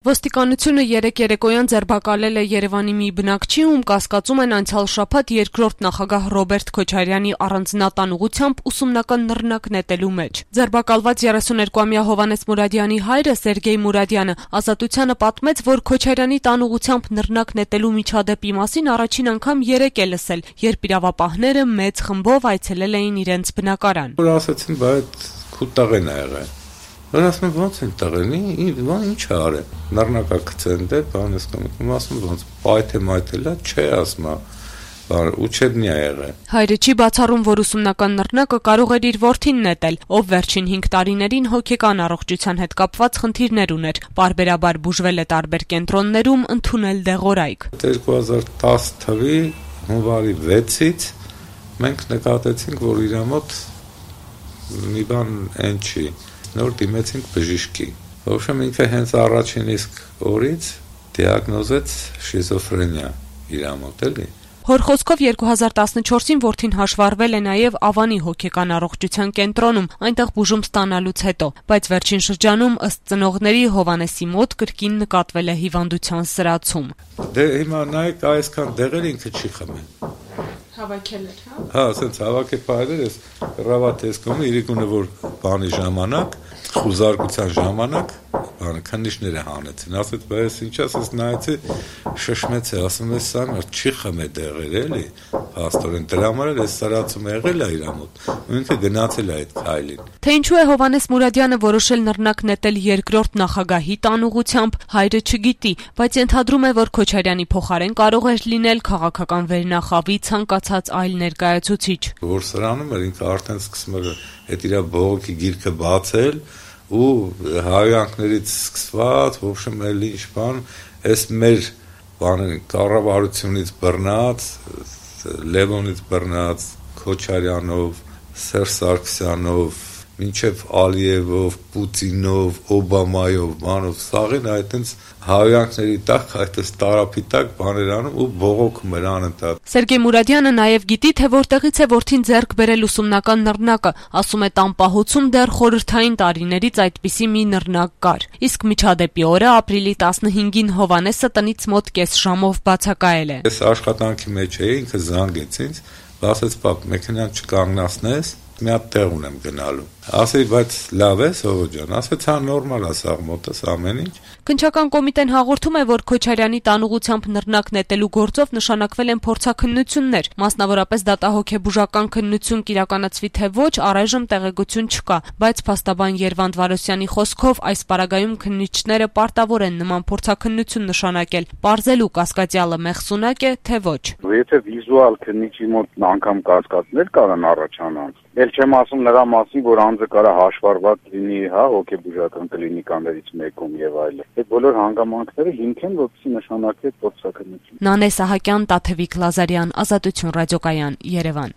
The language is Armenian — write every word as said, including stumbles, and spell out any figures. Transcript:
Ոստիկանությունը երեկ երեկոյան ձերբակալել է Երևանի մի բնակչի, ում կասկածում են անցյալ շաբաթ երկրորդ նախագահ Ռոբերտ Քոչարյանի առանձնատան ուղղությամբ ուսումնական նռնակ նետելու մեջ։ Ձերբակալված երեսուներկուամյա Հովհաննես Մուրադյանի հայրը Սերգեյ Մուրադյանը Ազատությանը պատմեց, որ Քոչարյանի տան ուղղությամբ նռնակ նետելու միջադեպի մասին առաջին անգամ երեկ է լսել, երբ իրավապահները մեծ խմբով այցելել էին իրենց բնակարան։ Որ ասացին, բայց քուտաղեն ա եղել։ Որ ասում եմ, ոնց են տղենի, ինչ է արել, նռնակա կծեն դե, բան ես կամում, ասում ոնց, պայթե մայթելա, չէ ասում է, ուչեբնի է եղել։ Հայրը չի բացառում, որ ուսումնական նռնակը կարող էր իր որդին նետել, ով վերջին հինգ տարիներին հոգեկան առողջության հետ կապված խնդիրներ ուներ, պարբերաբար բուժվել է տարբեր կենտրոններում, ընդունել դեղորայք։ երկու հազար տասը թվականի հունվարի վեցից մենք նկատեցինք, որ իր մոտ մի բան են չի, նոր դիմեցինք բժիշկի։ Ոբշեմ ինքը հենց առաջին իսկ օրից դիագնոզեց շիզոֆրենիա իր մոտ էլի։ Հոր խոսքով երկու հազար տասնչորսին որդին հաշվառվել է նաև Ավանի հոգեկան առողջության կենտրոնում, այնտեղ բուժում ստանալուց հետո, բայց վերջին շրջանում ըստ ծնողների Հովհաննեսի մոտ կրկին նկատվել է հիվանդության սրացում։ Դե հիմա նայեք այսքան դեղեր ինքը չի խմել։ Հավաքել էր, հա։ Հա, ասենց հավաքել պայել ես, ռավաթես կոմը իրիկունը որ բանի ժամանակ, խուզարկության ժամանակ, բանը քննիչները հանեցին, ասեց, բայց ինչ ասես նայեցի, շշմեց է, ասում ես սա մեր չի խմել դեղեր էլի, փաստորեն դրա համար էլ էս սարացում եղել է իր մոտ, ու ինքը գնացել է այդ քայլին։ Թե ինչու է Հովհաննես Մուրադյանը որոշել նռնակ նետել երկրորդ նախագահի տան ուղղությամբ, հայրը չգիտի, բայց ենթադրում է, որ Քոչարյանի փոխարեն կարող էր լինել քաղաքական վերնախավի ցանկացած այլ ներկայացուցիչ։ Որ սրանում էր ինքը արդեն սկսում էր այդ իր բողոքի գիրքը բացել ու հայանքներից սկսված, ոբշեմ էլ ինչ բան, այս մեր բանը կառավարությունից բռնած, Լևոնից բռնած, Քոչարյանով, Սերժ Սարգսյանով, մինչև Ալիևով, Պուտինով, Օբամայով, բանով, սաղին այդտենց հայանքների տակ, այդպես տարափի տակ բաներ անում ու բողոքում էր անընդհատ։ Սերգեյ Մուրադյանը նաև գիտի, թե որտեղից է որդին ձեռք բերել ուսումնական նռնակը, ասում է տան պահոցում դեռ խորհրդային տարիներից այդպիսի մի նռնակ կար։ Իսկ միջադեպի օրը ապրիլի տասնհինգին Հովհաննեսը տնից մոտ կես ժամով բացակայել է։ Ես աշխատանքի մեջ էի, ինքը զանգեց ինձ, ասեց պապ, մեքենան չկանգնացնես, մի հատ տեղ ունեմ գնալու։ Ասի, բայց լավ է, Սովո ջան, ասեց, հա նորմալ է սաղ մոտս ամեն ինչ։ Քննչական կոմիտեն հաղորդում է, որ Քոչարյանի տան ուղղությամբ նռնակ նետելու գործով նշանակվել են փորձաքննություններ, մասնավորապես դատահոգեբուժական քննություն կիրականացվի թե ոչ, առայժմ տեղեկություն չկա, բայց փաստաբան Երվանդ Վարոսյանի խոսքով այս պարագայում քննիչները պարտավոր են նման փորձաքննություն նշանակել, պարզելու կասկածյալը մեղսունակ է, թե ոչ։ Եթե վիզուալ քննիչի մոտ անգամ կասկածներ կարան առաջանալ, ել չեմ ասում նրա մասին, որ անձը կարա հաշվառված լինի, հա, հոգեբուժական կլինիկաներից մեկում եւ այլն։ Այդ բոլոր հանգամանքները հիմք են, որպեսզի նշանակվի փորձաքննություն։ Նանե Սահակյան, Տաթևիկ Լազարյան, Ազատություն ռադիոկայան, Երևան։